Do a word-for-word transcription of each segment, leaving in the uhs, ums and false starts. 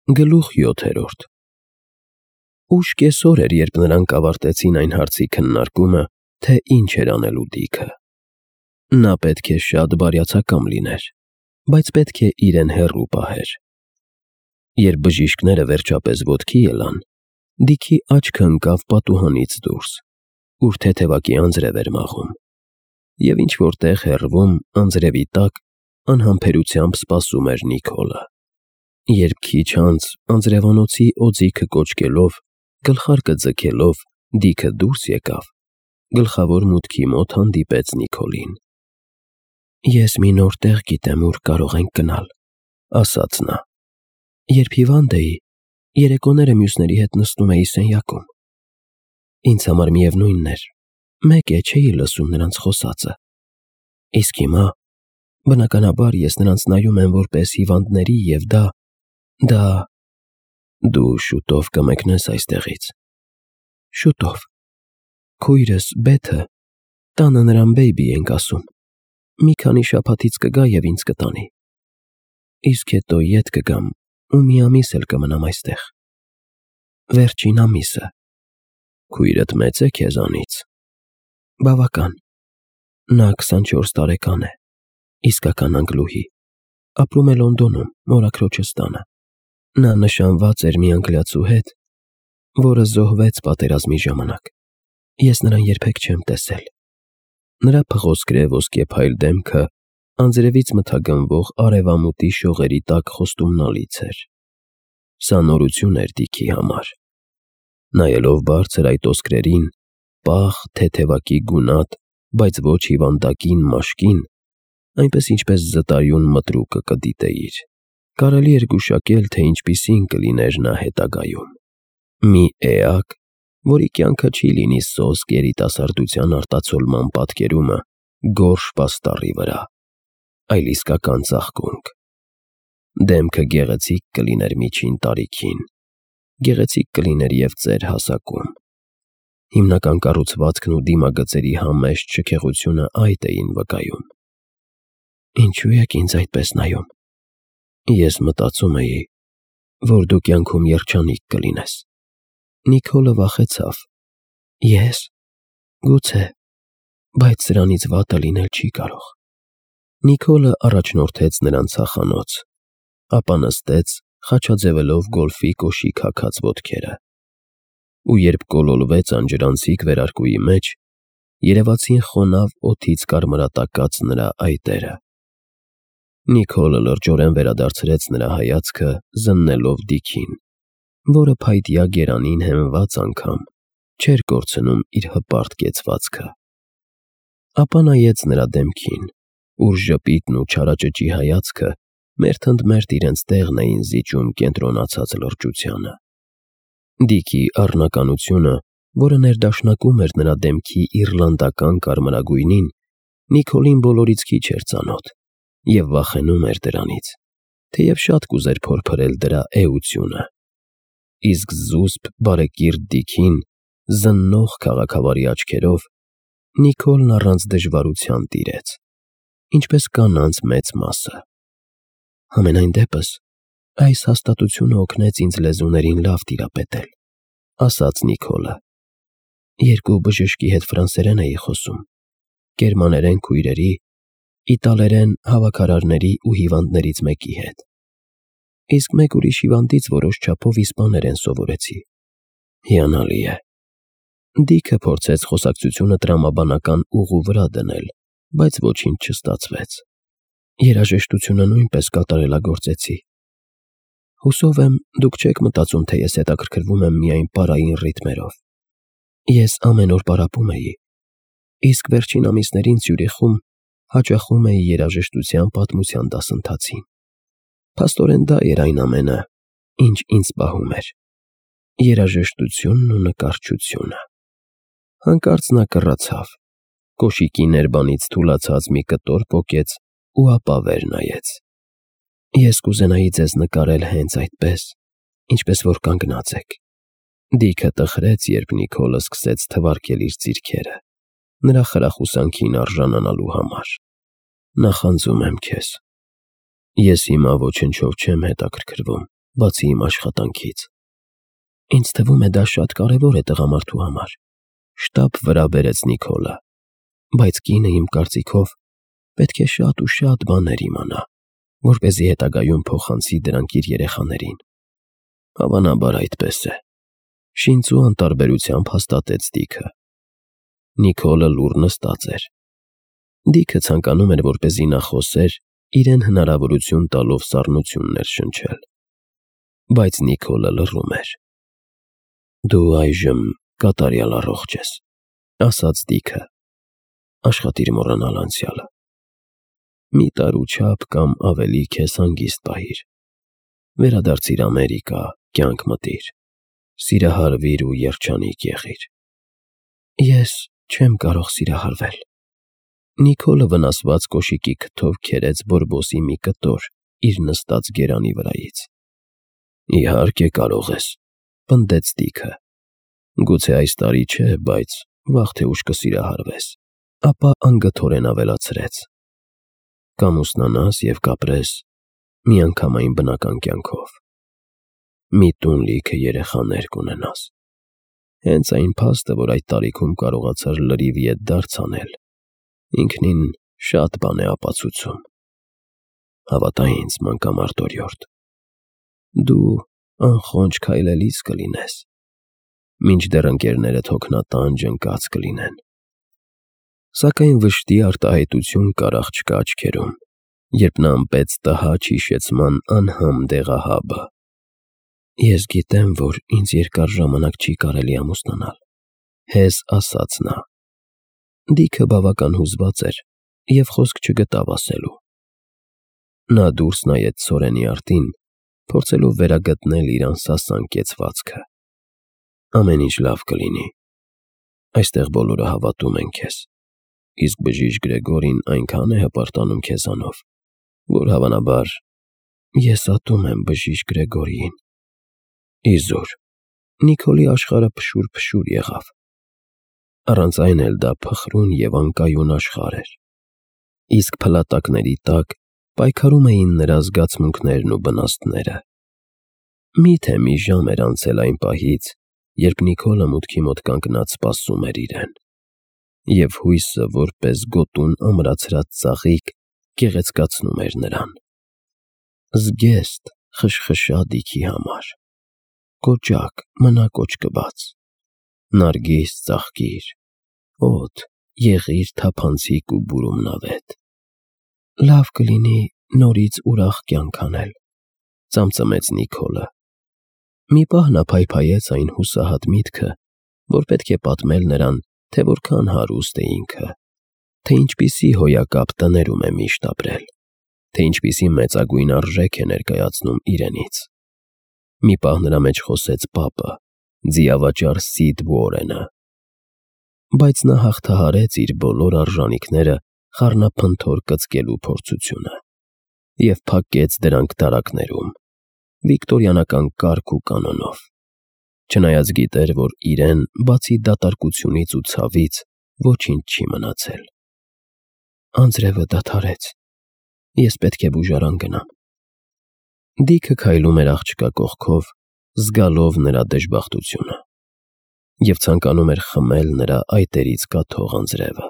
Գլուխ յոթերորդ Ուշ կեսօր էր, երբ նրանք ավարտեցին այն հարցի քննարկումը, թե ինչ էր անելու Դիքը։ Նա պետք է շատ բարյացակամ լիներ, բայց պետք է իրեն հեռու պահեր։ Երբ բժիշկները վերջապես ոտքի ելան, Դիքի աչքը ընկավ պատուհանից դուրս, ուր թեթևակի անձրև էր մաղում, և ինչ-որ տեղ հեռվում, անձրևի տակ, անհամբերությամբ սպասում էր Նիքոլը։ Երբ քիչ անց, անձրևանոցի օձիքը կոճկելով, գլխարկը ձգելով, Դիքը դուրս եկավ, գլխավոր մուտքի մոտ հանդիպեց Նիքոլին։ «Ես մի նոր տեղ գիտեմ, ուր կարող ենք գնալ», ասաց նա։ «Երբ հիվանդ էի, երեկոները մյուսների հետ նստում էի սենյակում։ Ինձ համար միևնույնն էր, մեկ է, չէի լսում նրանց խոսածը։ Իսկ հիմա, բնականաբար, ես նրանց նայում եմ որպես հիվանդների և դա, դա… Դու շուտով կմեկնես այստեղից»։ «Շուտով։ Քույրս՝ Բեթը, տանը նրան բեյբի ենք ասում, մի քանի շաբաթից կգա և ինձ կտանի։ Իսկ հետո ետ կգամ ու մի ամիս էլ կմնամ այստեղ։ Վերջին ամիսը»։ «Քույրդ մեծ է քեզանից»։ «Բավական։ Նա քսանչորս տարեկան է, իսկական անգլուհի, ապրում է Լոնդոնում, մորաքրոջս տանը։ Նա նշանված էր մի անգլիացու հետ, որը զոհվեց պատերազմի ժամանակ։ Ես նրան երբեք չեմ տեսել»։ Նրա փղոսկրե ոսկեփայլ դեմքը անձրևից մթագնվող արևամուտի շողերի տակ խոստումնալից էր։ Սա նորություն էր Դիքի համար։ Նայելով բարձր այդ ոսկրերին, պաղ, թեթևակի գունատ, բայց ոչ հիվանդակին մաշկին, այնպես ինչպես զտարյուն մտրուկը կդիտեիր, կարելի էր գուշակել, թե ինչպիսին կլիներ նա հետագայում։ Մի էակ, որի կյանքը չի լինի սոսկ երիտասարդության արտացոլման պատկերումը գորշ պաստառի վրա, այլ իսկական ծաղկունք։ Դեմքը գեղեցիկ կլիներ միջին տարիքին, գեղեցիկ կլիներ և ծեր հասակում։ Հիմնական կառուցվածքն ու դիմագծերի համեստ շքեղությունը այդ էին վկայում։ «Ինչու եք ինձ այդպես նայում։ Ես մտածում էի, որ դու կյանքում երջանիկ կլինես»։ Նիքոլը վախեցավ։ «Ե՞ս։ Գուցե, բայց սրանից վատը լինել չի կարող»։ Նիքոլը առաջնորդեց նրան ցախանոց, ապա նստեց, խաչաձևելով գոլֆի կոշիկ հագած ոտքերը։ Ու երբ կոլորվեց անջրանցիկ վերարկուի մեջ, երևացին խոնավ օդից կարմրատակած նրա այտերը։ Նիքոլը լրջորեն վերադարձրեց նրա հայացքը, զննելով Դիքին, որը փայտյա գերանին հենված անգամ չէր կորցնում իր հպարտ կեցվածքը։ Ապա նայեց նրա դեմքին, ուր ժպիտն ու չարաճճի հայացքը մերթընդմերթ իրենց տեղն էին զիջում կենտրոնացած լրջությանը։ Դիքի առնականությունը, որը ներդաշնակում էր նրա դեմքի իռլանդական կարմրագույնին, Նիքոլին բոլորից քիչ էր ծանոթ և վախենում էր դրանից, թեև շատ կուզեր փորփրել դրա էությունը։ Իսկ զուսպ, բարեկիրթ Դիքին, զննող քաղաքավարի աչքերով, Նիքոլն առանց դժվարության տիրեց, ինչպես կանանց մեծ մասը։ «Համենայն դեպս, այս հաստատությունը օգնեց ինձ լեզուներին լավ տիրապետել», ասաց Նիքոլը։ «Երկու բժշկի հետ ֆրանսերեն էի խոսում, գերմաներեն քույրերի, իտալերեն հավաքարարների ու հիվանդներից մեկի հետ, իսկ մեկ ուրիշ հիվանդից որոշ չափով իսպաներեն սովորեցի։ Հիանալի է»։ Դիքը փորձեց խոսակցությունը տրամաբանական ուղու վրա դնել, բայց ոչինչ չստացվեց։ «Երաժշտությունը նույնպես կատարելագործեցի։ Հուսով եմ, դուք չեք մտածում, թե ես հետաքրքրվում եմ միայն պարային ռիթմերով։ Ես ամեն օր պարապում էի, իսկ վերջին ամիսներին Ցյուրիխում հաճախում էի երաժշտության պատմության դասընթացին։ Փաստորեն դա էր այն ամենը, ինչ ինձ պահում էր. երաժշտությունն ու նկարչությունը»։ Հանկարծ նա կռացավ, կոշիկի ներբանից թուլացած մի կտոր պոկեց ու ապա վեր նայեց։ «Ես կուզենայի ձեզ նկարել հենց այդպես, ինչպես որ կանգնած եք»։ Դիքը տխրեց, երբ Նիքոլը սկսեց թվարկել իր ձիրքերը, նրա խրախուսանքին արժանանալու համար։ «Նախանձում եմ քեզ։ Ես հիմա ոչնչով չեմ հետաքրքրվում, բացի իմ աշխատանքից։ Ինձ թվում է դա շատ կարևոր է տղամարդու համար, շտապ վրա բերեց Նիկոլը, բայց կինը իմ կարծիքով պետք է շատ ու շատ բաներ իմանա, որպեսզի հետագայում փոխանցի դրանք իր երեխաներին։ Հավանաբար այդպես է, շինծու անտարբերությամբ հաստատեց Դիքը։ Նիկոլը լուռ նստած էր։ Դիքը ցանկանում էր, որպեսզի նա խոսեր, իրեն հնարավորություն տալով սառնություններ շնչել։ Բայց Նիկոլը լռում էր։ Դու այժմ կատարյալ առողջ ես, ասաց Դիքը, աշխատիր մոռանալ անցյալը։ Մի տարու չափ կամ ավելի քեզ հանգիստ պահիր, վերադարձիր Ամերիկա, կյանք մտիր, սիրահարվիր ու երջանիկ եղիր։ Ես չեմ կարող սիրահարվել։ Նիկոլը վնասված կոշիկի քթով քերեց բորբոսի մի կտոր իր նստած գերանի վրայից։ Իհարկե կարող ես, պնդեց Դիքը։ Գուցե այս տարի չէ, բայց վաղ թե ուշ կսիրահարվես։ Ապա անգթորեն ավելացրեց. Կամ ուսնանաս և կապրես միանգամայն բնական կյանքով։ Մի տուն լիքը երեխաներ կունենաս։ Հենց այն փաստը, որ այդ տարիքում կարողացար լրիվ ետդարձ անել, ինքնին շատ բան է ապացուցում։ Հավատա ինձ, մանկամարդ օրիորդ, դու անխոնջ քայլելիս կլինես, մինչդեռ ընկերներդ հոգնատանջ ընկած կլինեն։ Սակայն վշտի արտահայտություն կար աղջկա աչքերում, երբ նա ըմպեց տհաճ հիշեցման անհամ դեղահաբը։ Ես գիտեմ, որ ինձ երկար ժամանակ չի կարելի ամուսնանալ, հեզ ասաց նա։ Դիքը բավական հուզված էր և խոսք չգտավ ասելու։ Նա դուրս նայեց Սորենի արտին, փորձելով վերագտնել իր անսասան կեցվածքը։ Ամեն ինչ լավ կլինի։ Այստեղ բոլորը հավատում են քեզ, իսկ բժիշկ Գրեգորին այնքան է հպարտանում քեզանով, որ հավանաբար ես ատում եմ բժիշկ Գրեգորիին։ Իզուր, Նիկոլի աշխարհը փշուր-փշուր եղավ։ Առանց այն էլ դա փխրուն և անկայուն աշխարհ էր, իսկ փլատակների տակ պայքարում էին նրա զգացմունքներն ու բնաստները։ Միթե մի ժամ էր անցել այն պահից, երբ Նիկոլը մուտքի մոտ կանգնած սպասում էր իրեն, և հույսը որպես գոտուն ամրացրած ծաղիկ գեղեցկացնում էր նրան։ Զգեստ խշխշա Դիքի համար, կոճակ մնա կոճկված, նարգիս ծաղկիր, օդ եղիր թափանցիկ ու բուրումնավետ։ Լավ կլինի նորից ուրախ կյանք անել, ծամծմեց Նիկոլը։ Մի պահ նա փայփայեց այն հուսահատ միտքը, որ պետք է պատմել նրան, թե որքան հարուստ է ինքը, թե ինչպիսի հոյակապ տներում է միշտ ապրել, թե ինչպիսի մեծագույն արժեք է ներկայացնում իրենից։ Մի պահ նրա մեջ խոսեց պապը, ձիավաճառ Սիդ Ուորենը։ Բայց նա հաղթահարեց իր բոլոր արժանիքները խառնափնթոր կծկելու փորձությունը և փակեց դրանք դարակներում, վիկտորյանական կարգ ու կանոնով, չնայած գիտեր, որ իրեն, բացի դատարկությունից ու ցավից, ոչինչ չի մնացել։ Անձրևը դադարեց, ես պետք է բուժարան գնամ։ Դիքը քայլում էր աղջկա կողքով, զգալով նրա դժբախտությունը, և ցանկանում էր խմել նրա այտերից կաթող անձրևը։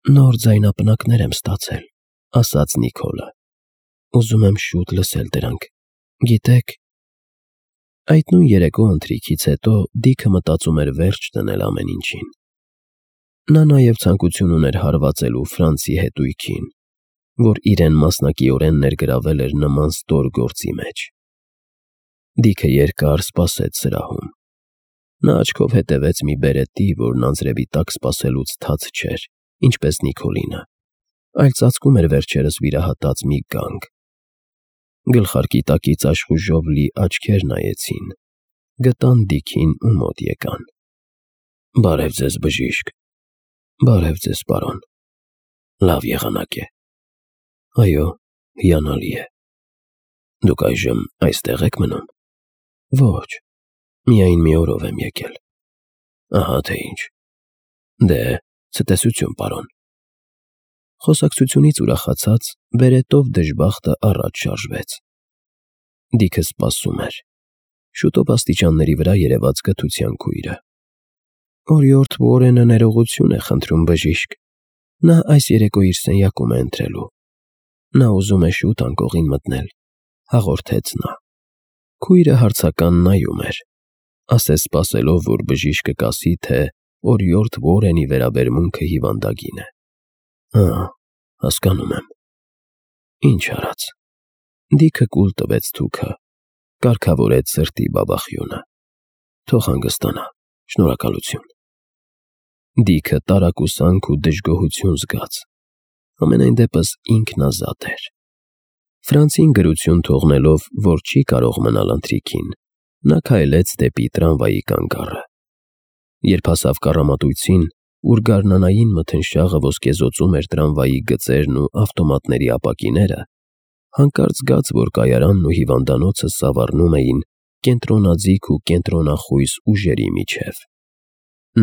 Նոր ձայնապնակներ եմ ստացել, ասաց Նիկոլը։ Ուզում եմ շուտ լսել դրանք, գիտեք։ Այդ նույն երեկո ընթրիքից հետո Դիքը մտածում էր վերջ դնել ամեն ինչին։ Նա նաև ցանկություն ուներ հարվածելու Ֆրանցի հետույքին, որ իրեն մասնակիորեն ներգրավել էր նման ստոր գործի մեջ։ Դիքը երկար սպասեց սրահում։ Նա աչքով հետևեց մի բերետի, որն անձրևի տակ սպասելուց թաց չէր, ինչպես Նիկոլինը, այլ ծածկում էր վերջերս վիրահատած մի գանգ։ Գլխարկի տակից աշխուժով լի աչքեր նայեցին, գտան Դիքին ու մոտ եկան։ Բարև ձեզ, բժիշկ։ Բարև ձեզ, պարոն։ Լավ եղանակ է։ Այո, հիանալի է։ Դուք այժմ այստեղ եք մնում։ Ոչ, միայն մի օրով եմ եկել։ Ահա թե ինչ։ Դե, ցտեսություն, պարոն։ Խոսակցությունից ուրախացած, բերետով դժբախտը առաջ շարժվեց։ Դիքը սպասում էր։ Շուտով աստիճանների վրա երևաց կթության քույրը։ Օրիորդ Ուորենը ներողություն է խնդրում, բժիշկ։ Նա այս երեկո իր սենյակում է ընթրելու։ Նա ուզում է շուտ անկողին մտնել, հաղորդեց նա։ Քույրը հարցական նայում էր, ասես սպասելով, որ բժիշկը կասի, թե Օրիորդ Ուորենի վերաբերմունքը հիվանդագին է։ Ահա, հասկանում եմ։ Ինչ արած։ Դիքը կուլ տվեց թուքը, կարգավորեց սրտի բաբախյունը։ Թող հանգստանա, շնորհակալություն։ Դիքը տարակուսանք ու դժգոհություն զգաց։ Ամենայն դեպս ինքնազատ էր։ Ֆրանցին գրություն թողնելով, որ չի կարող մնալ ընթրիքին, նա քայլեց դեպի տրամվայի կանգառը։ Երբ հասավ կառամատույցին, ուր գարնանային մթնշաղը ոսկեզօծում էր տրամվայի գծերն ու ավտոմատների ապակիները, հանկարծ զգաց, որ կայարանն ու հիվանդանոցը սավառնում էին կենտրոնաձիգ ու կենտրոնախույս ուժերի միջև։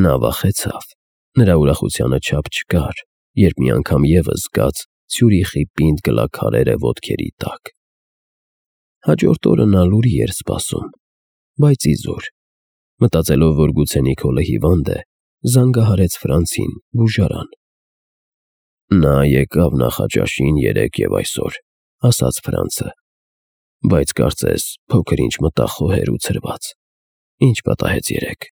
Նա վախեցավ։ Նրա ուրախությանը չափ չկար, երբ մի անգամ ևս զգաց Ցյուրիխի պինդ գլաքարերը ոտքերի տակ։ Հաջորդ օրը նա լուրի էր սպասում, բայց իզուր։ Մտածելով, որ գուցե Նիկոլը հիվանդ է, զանգահարեց Ֆրանցին բուժարան։ Նա եկավ նախաճաշին երեկ և այսօր, ասաց Ֆրանցը, բայց կարծես փոքր-ինչ մտախոհ էր ու ցրված։ Ինչ պատահեց երեկ։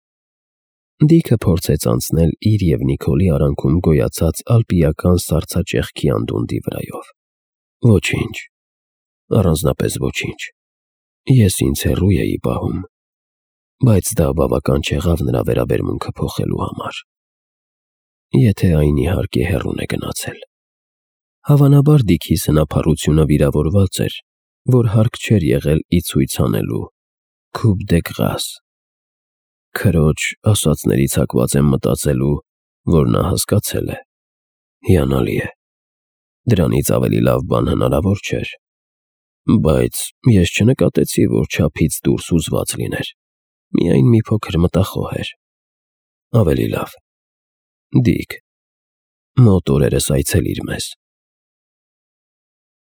Դիքը փորձեց անցնել իր և Նիկոլի արանքում գոյացած ալպիական սառցաճեղքի անդունդի վրայով։ Ոչինչ, առանձնապես ոչինչ։ Ես ինձ հեռու էի պահում, բայց դա բավական չեղավ նրա վերաբերմունքը փոխելու համար։ Եթե այն իհարկե հեռուն է գնացել։ Հավանաբար Դիքի սնափառությունը վիրավորված էր, որ հարկ չէր եղել ի ցույց անելու coup de grâce։ Քրոջ ասածներից հակված եմ մտածելու, որ նա հասկացել է։ Հիանալի է։ Դրանից ավելի լավ բան հնարավոր չէր։ Բայց ես չնկատեցի, որ չափից դուրս հուզված լիներ։ Միայն մի փոքր մտախոհ էր։ Ավելի լավ։ Դիք, մոտ օրերս այցելիր մեզ։